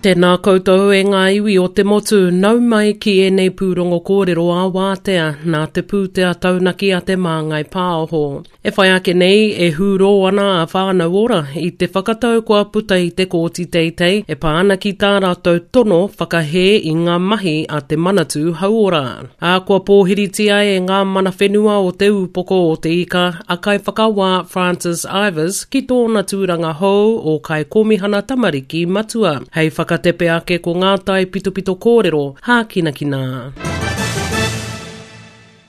Tēnā koutou e ngā iwi o te motu, nau mai ki ēnei pūrongo kōrero ā-wātea nā te pūtea taunaki a Te Māngai Pāho. E whai ake nei, e hūrō ana a Whānau Ora i te whakatau kua puta i te Kōti Teitei e pā ana ki tā rātou tono whakahē i ngā mahi a te Manatū Hauora. Ā, kua pōhiritia e ngā mana whenua o Te Ūpoko o Te Ika a Kaiwhakawā Francis Ivers ki tōna tūranga hou o Kaikōmihana Tamariki Matua, hei whakatepe ake ko ngā taipitopito kōrero hākinakina.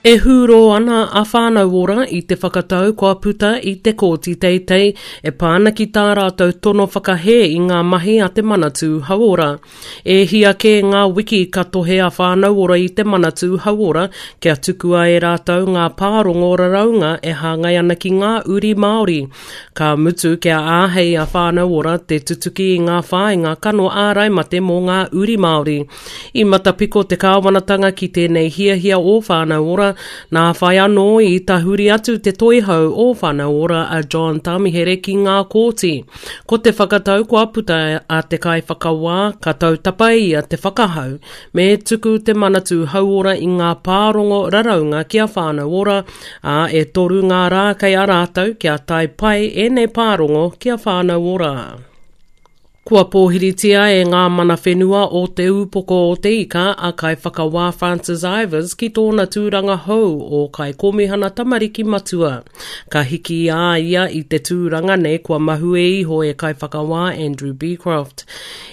E hūrō ana a Whānau Ora i te whakatau kua puta i te Kōti Teitei e pā ana ki tā rātou tono whakahē i ngā mahi a te Manatū Hauora. E hia kē ngā wiki ka tohe a Whānau Ora i te Manatū Hauora kia tukua e rātou ngā pārongo raraunga e hāngai ana ki ngā uri Māori. Ka mutu kia āhei a Whānau Ora te tutuki i ngā whāinga kano ārai mate mō ngā uri Māori. I matapiko te kāwanatanga ki tēnei hiahia o Whānau Ora, nā whai anō i tahuri atu te toihau o Whānau Ora a John Tamihere ki ngā kōti. Ko te whakatau kua puta a te kaiwhakawā ka tautapa ia te whakahau me tuku te Manatū Hauora i ngā pārongo raraunga ki a Whānau Ora, ā, e toru ngā rā kei a rātou kia tae pai ēnei pārongo ki a Whānau Ora. Kua pōhiritia e ngā mana whenua o Te Ūpoko o Te Ika a Kaiwhakawā Francis Ivers ki tōna tūranga hou o Kaikōmihana Tamariki Matua. Ka hiki a ia i te tūranga nei kua mahue iho e Kaiwhakawā Andrew Becroft.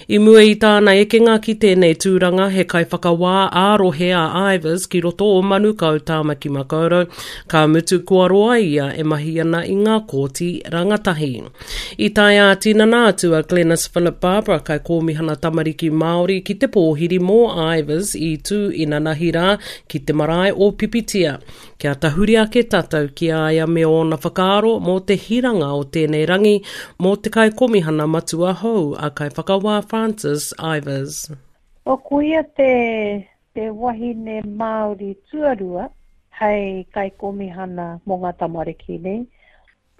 I mua i tāna ekenga ki tēnei tūranga he kaiwhakawā ā-rohe a Ivers ki roto o Manukau, Tāmaki Makaurau, ka mutu kua roa ia e mahi ana i ngā kōti rangatahi. I tae ā-tinana atu a Glenis Philip Barbara, Kaikōmihana Tamariki Māori, ki te pōhiri mō Ivers i tū inanahi rā ki te marae o Pipitia. Kia tahuri ake tātou ki a ia me ōna whakaaro mō te hiranga o tēnei rangi mō te Kaikomihana Matua hou a Kaiwhakawā Francis Ivers. O ko ia te te wahine Māori tuarua hei Kaikomihana mō ngā tamariki nei.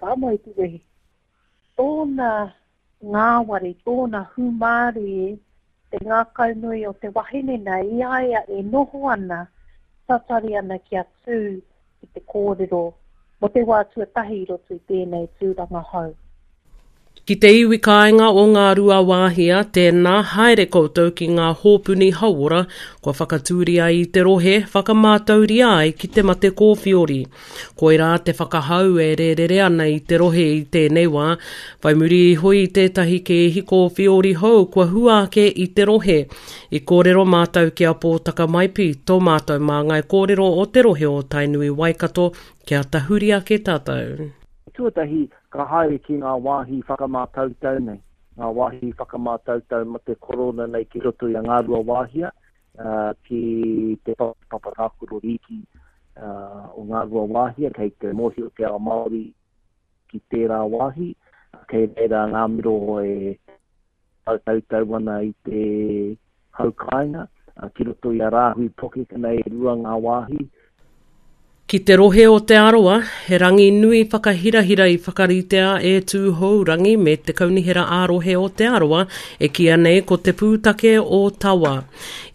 Pā mai te wehi. Tōna ngāwari, tōna hūmārie, te ngākaunui o te wahine nei i a ia e noho ana, tatari ana kia tū ki te kōrero mō te wā tuatahi i roto i tēnei tūranga hou. Ki te iwi kāinga o Ngāruawāhia, tēnā, haere koutou ki ngā hōpuni hauora kua whakatūria i te rohe, whakamātauria ai ki te mate kōwhiori. Koirā te whakahau e rērere ana i te rohe i tēnei wā, whai muri iho i tētahi kēhi kōwhiori hou kua hua ake i te rohe. I kōrero mātou ki a Pōtaka Maipi, tō mātou māngai kōrero o te rohe o Tainui Waikato, kia tahuri ake tātou. Tuatahi, ka haere ki ngā wāhi whakamātautau nei, ngā wāhi whakamātautau mate korona nei ki roto i a Ngāruawāhia, ki te papa tākaro rīki o Ngāruawāhia, kei te mōhio te ao Māori ki tērā wāhi, kei reira ngā miro e tautau ana i te hau kāinga, ki roto i a Rāhui Pokeka nei e rua ngā wāhi. Ki te rohe o Te Arawa, he rangi nui whakahirahira i whakaritea e Tūhourangi me te Kaunihera ā-Rohe o Te Arawa e kīia nei ko Te Pūtake o Tawa.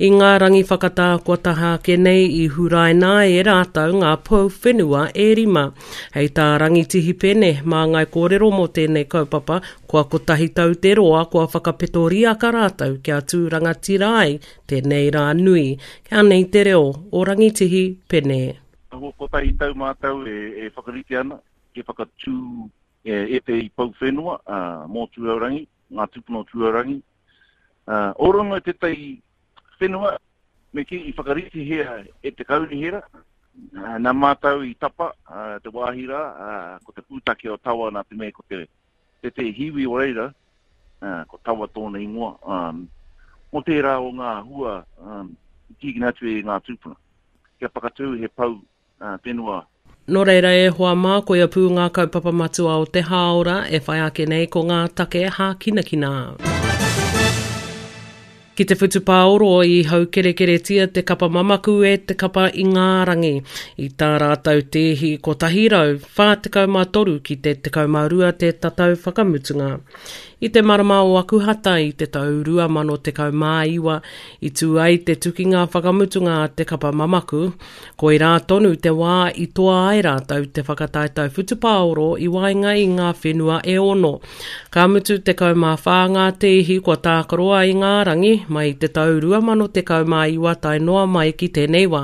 I ngā rangi whakatā kua taha ake nei i huraina ai e rātou ngā pou whenua e rima. Hei tā Rangitihi Pene, māngai kōrero mō tēnei kaupapa, kua kotahi tau te roa kua whakapeto riaka rātou kia tū rangatira ai Tēnei rā nui, kia nei te reo o Rangitihi Pene. Kua kotahi tau mātou e whakarite ana kia whakatū ētehi pou whenua mō Tūhourangi, ngā tūpuna o Tūhourangi. Ōrongo tētahi whenua me kī i whakaritihia e te kaunihera, nā mātou i tapa te wāhi rā, ko te pūtake o Tawa nā te mea ko te tētehi hiwi o reira, ko Tawa tōna ingoa, mō tērā o ngā hua i tīkina atu e ngā tūpuna, kia whakatū he pou whenua. Nō reira e hoa mā, koia pū ngā kaupapa matua o te hāora e whai ake nei ko ngā take hākinakina. Ki te whutupāoro i haukerekeretia te kapa mamaku e te kapa Ingarangi i tā rātou tēhi 143 ki te 12 te tatau whakamutunga. I te marama o Akuhata i te tau 2019 i tū ai te tukinga whakamutunga a te kapa mamaku, koirā tonu te wā i toa ai rātou te whakataetae whutupāoro i waenga i ngā whenua e ono. Ka mutu 14 ngā tēhi kua tākaroa i ngā rangi mai i te tau 2019 tae noa mai ki tēnei wā.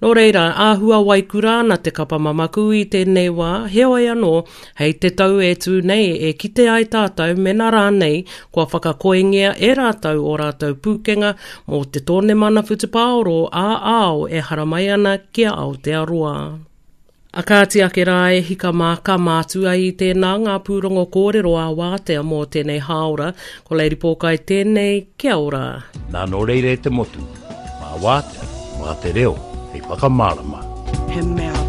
Nō reira, āhua waikura ana te kapa mamaku i tēnei wā, heoi anō, Hei te tau e tū nei e kite ai tātou mena rānei kua whakakoengia e rātou ō rātou pūkenga mō te tōnemana whutupaoro ā-ao e haramai ana ki a Aotearoa. A kāti ake rā e hika mā ka mātua i tēnā ngā pūrongo kōrero ā-wātea mō tēnei hāora. Ko Lady Pōkai tēnei, kia ora. Nā nō reira e te motu, mā wātea, mā te reo hei whakamārama. He mea.